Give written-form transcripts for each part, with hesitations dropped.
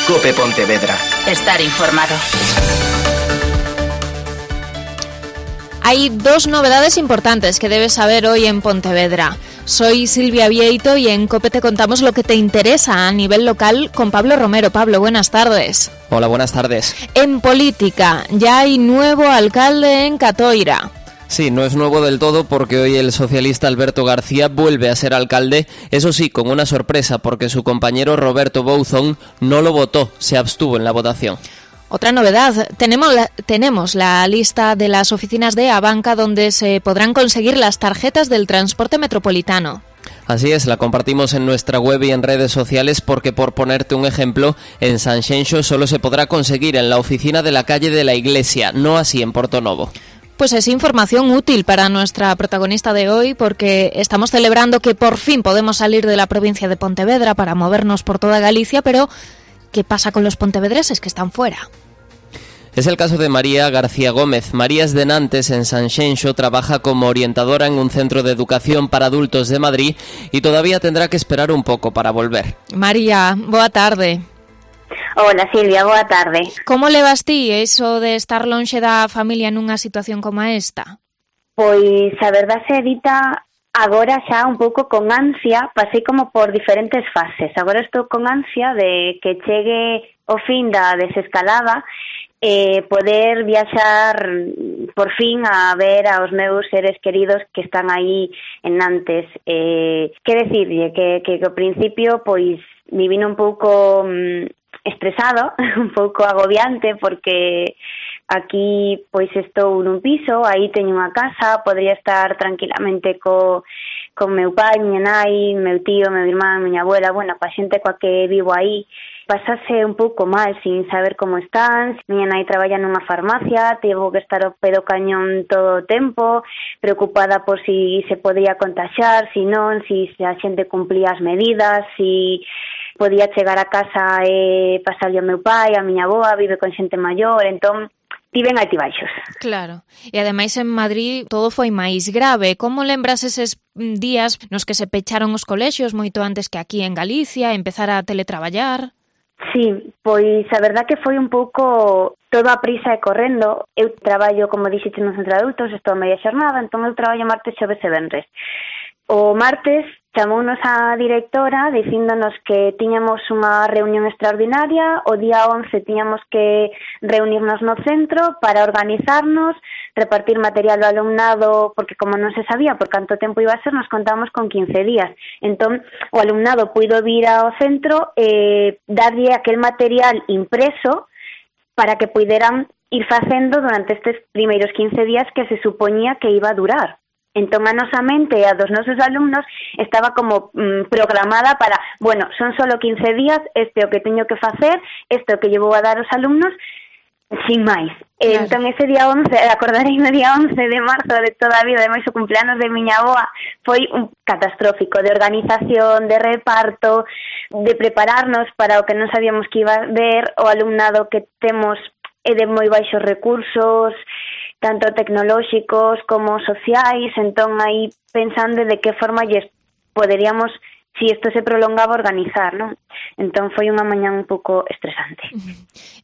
COPE Pontevedra. Estar informado. Hay dos novedades importantes que debes saber hoy en Pontevedra. Soy Silvia Vieito y en COPE te contamos lo que te interesa a nivel local con Pablo Romero. Pablo, buenas tardes. Hola, buenas tardes. En política, ya hay nuevo alcalde en Catoira. Sí, no es nuevo del todo porque hoy el socialista Alberto García vuelve a ser alcalde, eso sí, con una sorpresa porque su compañero Roberto Bouzón no lo votó, se abstuvo en la votación. Otra novedad, tenemos la lista de las oficinas de Abanca donde se podrán conseguir las tarjetas del transporte metropolitano. Así es, la compartimos en nuestra web y en redes sociales porque, por ponerte un ejemplo, en Sanxenxo solo se podrá conseguir en la oficina de la calle de la Iglesia, no así en Portonovo. Pues es información útil para nuestra protagonista de hoy porque estamos celebrando que por fin podemos salir de la provincia de Pontevedra para movernos por toda Galicia, pero ¿qué pasa con los pontevedreses que están fuera? Es el caso de María García Gómez. María es de Nantes, en Sanxenxo, trabaja como orientadora en un centro de educación para adultos de Madrid y todavía tendrá que esperar un poco para volver. María, boa tarde. Hola Silvia, boa tarde. Como levas ti iso de estar lonxe da familia nunha situación como esta? Pois a verdade se dita, agora xa un pouco con ansia, pasei como por diferentes fases. Agora estou con ansia de que chegue o fin da desescalada poder viaxar por fin a ver aos meus seres queridos que están aí en Nantes. Que decirlle que ao principio pois vivino un pouco estresado, un pouco agobiante porque aquí pois estou nun piso, aí teño unha casa, podría estar tranquilamente con meu pai, miña nai, meu tío, meu irmán, miña abuela, bueno, coa xente coa que vivo aí. Pasase un pouco mal sin saber como están. Miña nai traballa nunha farmacia, tivo que estar ao pé do cañón todo o tempo, preocupada por si se podía contaxiar, si non, si a xente cumplía as medidas, si podía chegar a casa e pasarlle ao meu pai, a miña avoa, vive con xente maior, entón tiven altibaixos. Claro, e ademais en Madrid todo foi máis grave. Como lembras eses días nos que se pecharon os colexios moito antes que aquí en Galicia, empezar a teletraballar? Sí, pois a verdad que foi un pouco todo a prisa e correndo. Eu traballo, como dixete, no centro de adultos, estou a media xornada, entón eu traballo martes, xoves e venres. O martes chamounos a directora dicíndonos que tiñamos unha reunión extraordinaria, o día 11 tiñamos que reunirnos no centro para organizarnos, repartir material ao alumnado, porque como non se sabía por canto tempo iba a ser, nos contábamos con 15 días. Entón, o alumnado puido vir ao centro e darlle aquel material impreso para que puideran ir facendo durante estes primeiros 15 días que se supoñía que iba a durar. Entón, a nosa mente e a dos nosos alumnos estaba como programada para, bueno, son solo 15 días, este é o que teño que facer, este é o que lle vou a dar aos alumnos, sin máis. Claro. Entón, ese día 11, acordarei no día 11 de marzo de toda a vida, ademais o cumpleanos de miña avoa, foi un catastrófico de organización, de reparto, de prepararnos para o que non sabíamos que iba a ver, o alumnado que temos é de moi baixos recursos, tanto tecnolóxicos como sociais, entón aí pensando de que forma lles poderíamos, si isto se prolongaba, organizar, non? Entón foi unha mañá un pouco estresante.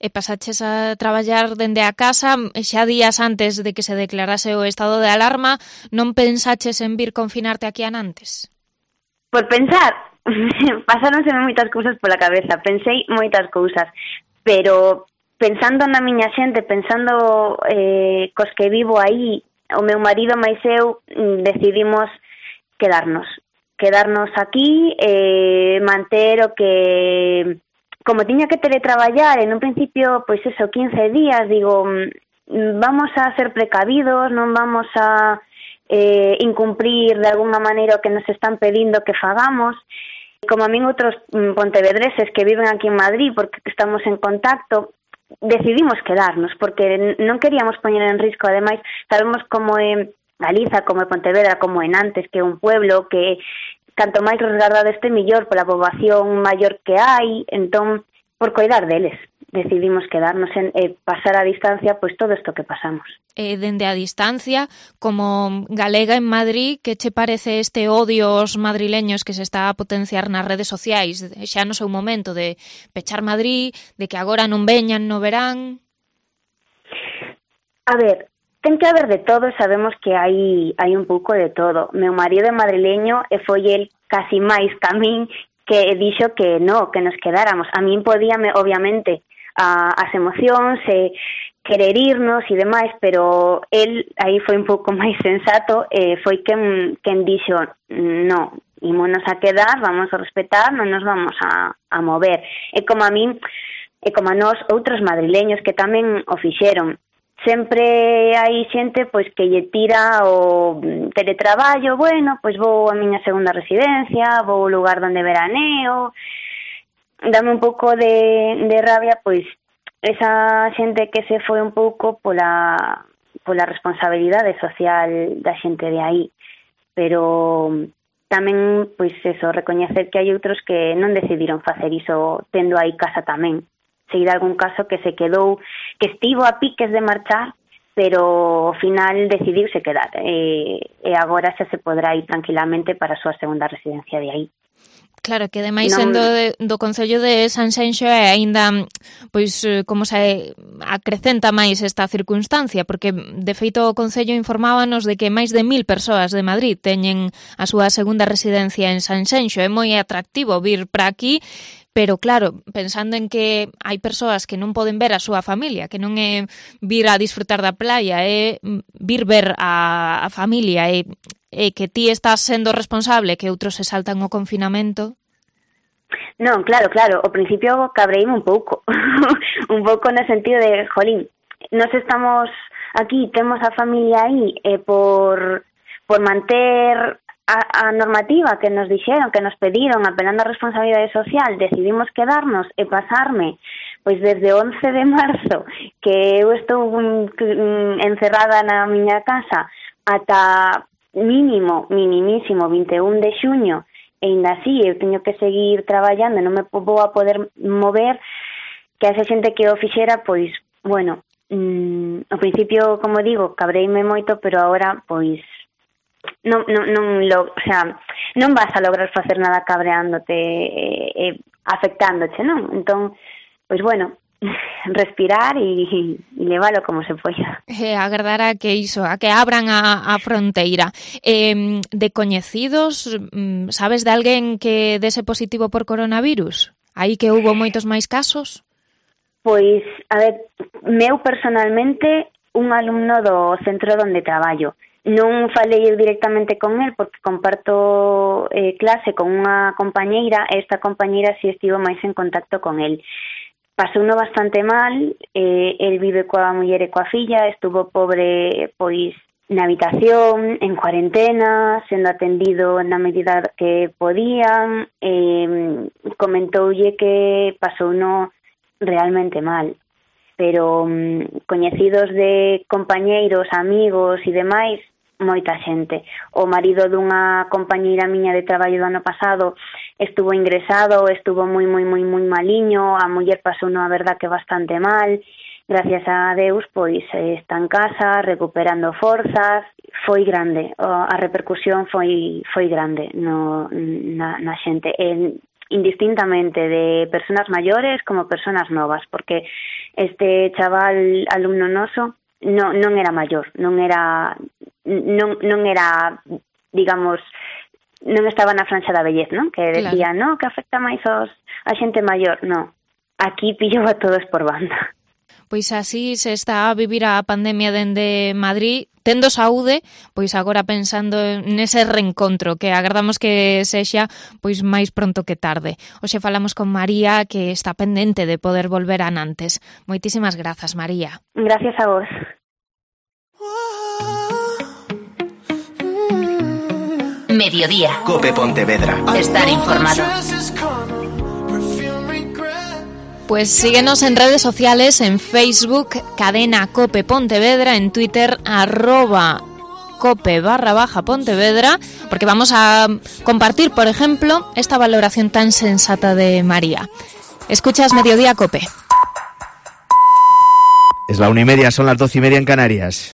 E pasaches a traballar dende a casa, xa días antes de que se declarase o estado de alarma, non pensaches en vir confinarte aquí a Nantes? Por pensar, pasáronse moitas cousas pola cabeza, pensei moitas cousas, pero pensando na miña xente, pensando cos que vivo aí, o meu marido máis eu decidimos quedarnos aquí, manter o que, como tiña que teletraballar en un principio, pois eso, 15 días, digo, vamos a ser precavidos, non vamos a incumprir de alguna maneira o que nos están pedindo que fagamos. Como a min outros pontevedreses que viven aquí en Madrid, porque estamos en contacto, decidimos quedarnos, porque non queríamos poñer en risco, ademais, sabemos como é Galiza, como é Pontevedra, como é Nantes, que é un pueblo que canto máis resguardado este mellor pola poboación maior que hai, entón, por coidar deles. decidimos quedarnos e pasar a distancia pois todo isto que pasamos. Dende a distancia, como galega en Madrid, que che parece este odio aos madrileños que se está a potenciar nas redes sociais, xa no seu momento de pechar Madrid, de que agora non veñan no verán? A ver, ten que haber de todo, sabemos que hai un pouco de todo. Meu marido é madrileño e foi el casi máis que a min que dixo que no, que nos quedáramos. A min podíame, obviamente, as emocións e querer irnos e demais, pero el aí foi un pouco máis sensato e foi quen dixo no, ímonos a quedar, vamos a respetar, non nos vamos a mover. E como a min, e como a nós, outros madrileños que tamén o fixeron. Sempre hai xente pois que lle tira o teletraballo, bueno, pois vou a miña segunda residencia, vou ao lugar donde veraneo. Dame un pouco de rabia pois esa xente que se foi un pouco pola responsabilidade social da xente de aí. Pero tamén pois eso, recoñecer que hai outros que non decidiron facer iso tendo aí casa tamén. Sei de algún caso que se quedou, que estivo a piques de marchar, pero ao final decidiuse quedar e agora xa se podrá ir tranquilamente para a súa segunda residencia de aí. Claro, que ademais sendo do Concello de Sanxenxo é aínda, pois, como se acrecenta máis esta circunstancia, porque de feito o Concello informábanos de que máis de 1000 persoas de Madrid teñen a súa segunda residencia en Sanxenxo. É moi atractivo vir para aquí, pero claro, pensando en que hai persoas que non poden ver a súa familia, que non é vir a disfrutar da playa, é vir ver a familia, e que ti estás sendo responsable, que outros se saltan o confinamento. Non, claro, ao principio cabreíme un pouco, un pouco no sentido de, jolín, nos estamos aquí, temos a familia aí, e por manter a normativa que nos dixeron, que nos pediron, apelando á responsabilidade social, decidimos quedarnos e pasarme, pois desde 11 de marzo, que eu estou encerrada na miña casa, ata minimísimo 21 de xuño, e ainda así eu teño que seguir traballando, non me vou a poder mover, que a esa xente que o fixera, pois, bueno, ao principio, como digo, cabreime moito, pero agora, pois, non vas a lograr facer nada cabreándote e afectándoche, non? Entón, pois bueno, respirar e leválo como se poida. Agardar a que iso, a que abran a fronteira. De coñecidos, sabes de alguén que dese positivo por coronavirus? Aí que houbo moitos máis casos? Pois, a ver, meu personalmente, un alumno do centro onde traballo. Non falei eu directamente con el porque comparto clase con unha compañeira e esta compañeira si estivo máis en contacto con el. Pasouno bastante mal, el vive coa muller e coa filla, estuvo pobre pois na habitación, en cuarentena, sendo atendido na medida que podían, comentoulle que pasouno realmente mal. Pero coñecidos de compañeiros, amigos e demais, moita xente. O marido dunha compañeira miña de traballo do ano pasado estuvo ingresado, estuvo moi maliño, a muller pasou a verdad que bastante mal. Gracias a Deus, pois está en casa, recuperando forzas. Foi grande, a repercusión foi grande na xente. Indistintamente de personas maiores como personas novas, porque este chaval alumno noso non era maior, non era, digamos, non estaba na franxa da vellez, non? Que decía, claro, no, que afecta máis a xente maior, non. Aquí pillou a todos por banda. Pois así se está a vivir a pandemia dende Madrid, tendo saúde, pois agora pensando nese reencontro que agardamos que sexa pois máis pronto que tarde. Hoxe falamos con María, que está pendente de poder volver a Nantes. Moitísimas grazas, María. Gracias a vos. Mediodía. COPE Pontevedra. Estar informado. Pues síguenos en redes sociales, en Facebook, Cadena Cope Pontevedra, en Twitter, @cope_Pontevedra, porque vamos a compartir, por ejemplo, esta valoración tan sensata de María. Escuchas Mediodía Cope. Es la 1:30, son las 12:30 en Canarias.